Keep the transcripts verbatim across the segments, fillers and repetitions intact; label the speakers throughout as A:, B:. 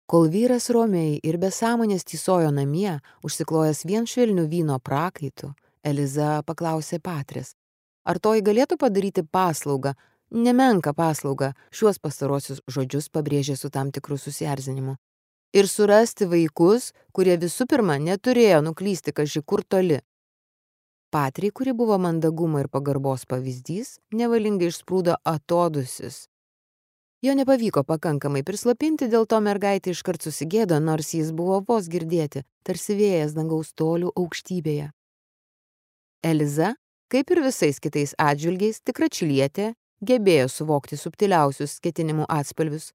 A: Kol vyras romiai ir be sąmonės tysojo namie, užsiklojęs vien švelnių vyno prakaitų, Eliza paklausė Patrės, ar toji galėtų padaryti paslaugą, nemenką paslaugą, šiuos pastarosius žodžius pabrėžė su tam tikru susierzinimu, ir surasti vaikus, kurie visų pirma neturėjo nuklysti kaži kur toli. Patriai, kuri buvo mandagumo ir pagarbos pavyzdys, nevalingai išsprūdo atodusis. Jo nepavyko pakankamai prislopinti, dėl to mergaitė iškart susigėdo, nors jis buvo vos girdėti, tarsi vėjas dangaus tolių aukštybėje. Eliza, kaip ir visais kitais atžvilgiais, tikra čilietė, gebėjo suvokti subtiliausius ketinimų atspalvius.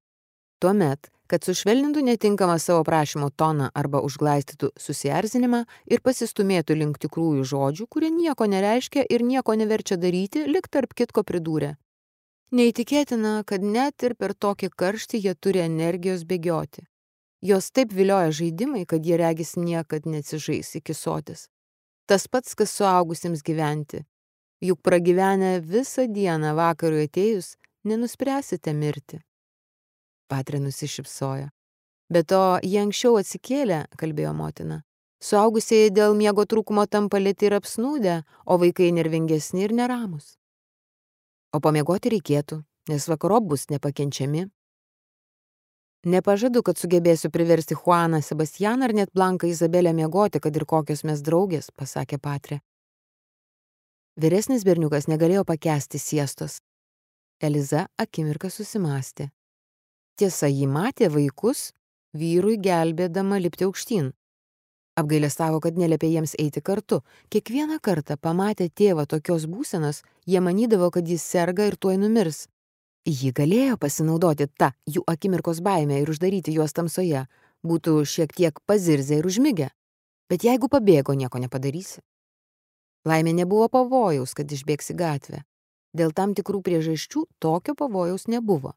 A: Tuomet, kad sušvelnintų netinkamą savo prašymo toną arba užglaistytų susierzinimą ir pasistumėtų link tikrųjų žodžių, kurie nieko nereiškia ir nieko neverčia daryti, lik tarp kitko pridūrė. Neįtikėtina, kad net ir per tokį karštį jie turi energijos bėgioti. Jos taip vilioja žaidimai, kad jie regis niekad neatsižais iki sotis. Tas pats, kas suaugusiems gyventi. Juk pragyvenę visą dieną vakarui atėjus, nenuspręsite mirti. Patrė nusišypsojo. Be to, jie anksčiau atsikėlė, kalbėjo motina. Suaugusieji dėl miego trūkumo tampa lėti ir apsnūdę, o vaikai nervingesni ir neramus. O pamiegoti reikėtų, nes vakarop bus nepakenčiami. Nepažadu, kad sugebėsiu priversti Juaną, Sebastianą ar net Blanką Izabelę miegoti, kad ir kokios mes draugės, pasakė Patrė. Vyresnis berniukas negalėjo pakęsti siestos. Eliza akimirką susimąstė. Tiesa, ji matė vaikus, vyrui gelbėdama lipti aukštyn. Apgailestavo, kad neliepė jiems eiti kartu. Kiekvieną kartą pamatę tėvą tokios būsenos, jie manydavo, kad jis serga ir tuoj numirs. Ji galėjo pasinaudoti tą jų akimirkos baimę ir uždaryti juos tamsoje, būtų šiek tiek pazirzę ir užmigę. Bet jeigu pabėgo, nieko nepadarysi. Laimė nebuvo pavojaus, kad išbėgsi gatvę. Dėl tam tikrų priežasčių tokio pavojaus nebuvo.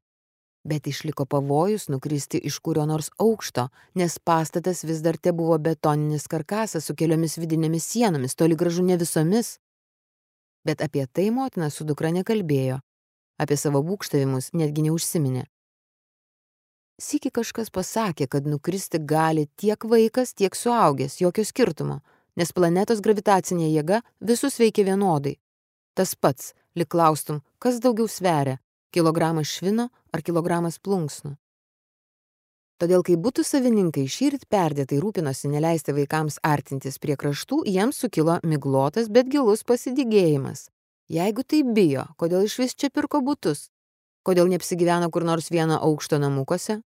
A: Bet išliko pavojus nukristi iš kurio nors aukšto, nes pastatas vis dar te buvo betoninis karkasas su keliomis vidinėmis sienomis, toli gražu ne visomis. Bet apie tai motina su dukra nekalbėjo, apie savo būgštavimus netgi neužsiminė. Sykį kažkas pasakė, kad nukristi gali tiek vaikas, tiek suaugęs, jokio skirtumo, nes planetos gravitacinė jėga visus veikia vienodai. Tas pats, lyg klaustum, kas daugiau sveria, kilogramas švino ar kilogramas plunksnų. Todėl, kai butų savininkai šįryt perdėtai rūpinosi neleisti vaikams artintis prie kraštų, jiems sukilo miglotas, bet gilus pasidygėjimas. Jeigu tai bijo, kodėl išvis čia pirko butus? Kodėl neapsigyveno kur nors vieno aukšto namukuose?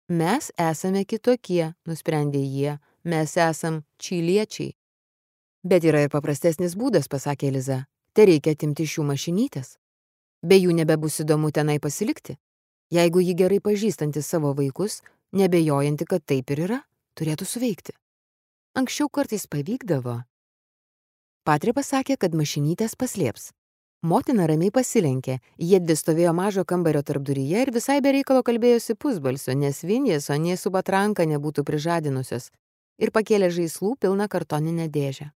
A: Mes esame kitokie, nusprendė jie, mes esam čiliečiai. Bet yra ir paprastesnis būdas, pasakė Eliza. Te reikia atimti iš jų mašinytės. Be jų nebebus įdomu tenai pasilikti. Jeigu ji gerai pažįstanti savo vaikus, nebejojanti, kad taip ir yra, turėtų suveikti. Anksčiau kartais pavykdavo. Patrė pasakė, kad mašinytės paslėps. Motina ramiai pasilenkė, jie dvi stovėjo mažo kambario tarpduryje ir visai be reikalo kalbėjosi pusbalsio, nes Vinės, o nė su patranka nebūtų prižadinusios, ir pakėlė žaislų pilną kartoninę dėžę.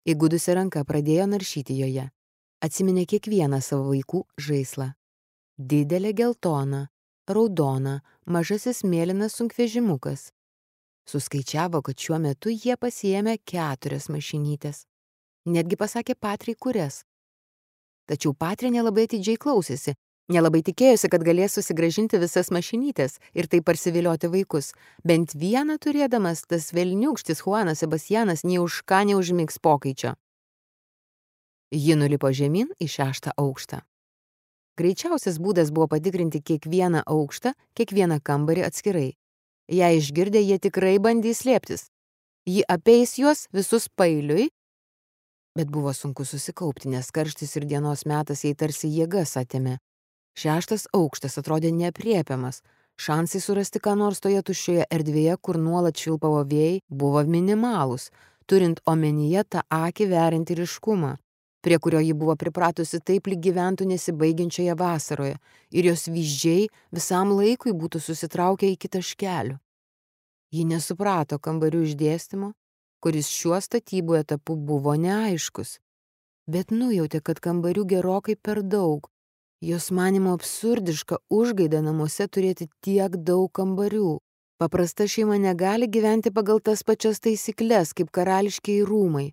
A: Įgudusi ranka pradėjo naršyti joje. Atsiminė kiekvieną savo vaikų žaislą. Didelė geltona, raudona, mažasis mėlynas sunkvežimukas. Suskaičiavo, kad šiuo metu jie pasiėmė keturias mašinytės. Netgi pasakė Patriai kurias. Tačiau Patrė nelabai atidžiai klausėsi, nelabai tikėjosi, kad galės susigrąžinti visas mašinytės ir taip parsivilioti vaikus. Bent vieną turėdamas, tas velniūkštis Juanas Sebastianas nei už ką neužmigs pokaičio. Ji nulipo žemyn į šeštą aukštą. Greičiausias būdas buvo patikrinti kiekvieną aukštą, kiekvieną kambarį atskirai. Jei išgirdę, jie tikrai bandys slėptis. Ji apeis juos visus pailiui, bet buvo sunku susikaupti, nes karštis ir dienos metas jai tarsi jėgas atėmė. Šeštas aukštas atrodė neaprėpiamas. Šansai surasti ką nors toje tuščioje erdvėje, kur nuolat švilpavo vėjai, buvo minimalūs, turint omenyje tą akį veriantį ryškumą, prie kurio ji buvo pripratusi taip, lyg gyventų nesibaigiančioje vasaroje, ir jos vyzdžiai visam laikui būtų susitraukę iki taškelių. Ji nesuprato kambarių išdėstymo, kuris šiuo statybų etapu buvo neaiškus, bet nujautė, kad kambarių gerokai per daug, Jos manimo absurdiška užgaida namuose turėti tiek daug kambarių. Paprasta šeima negali gyventi pagal tas pačias taisykles kaip karališkieji rūmai.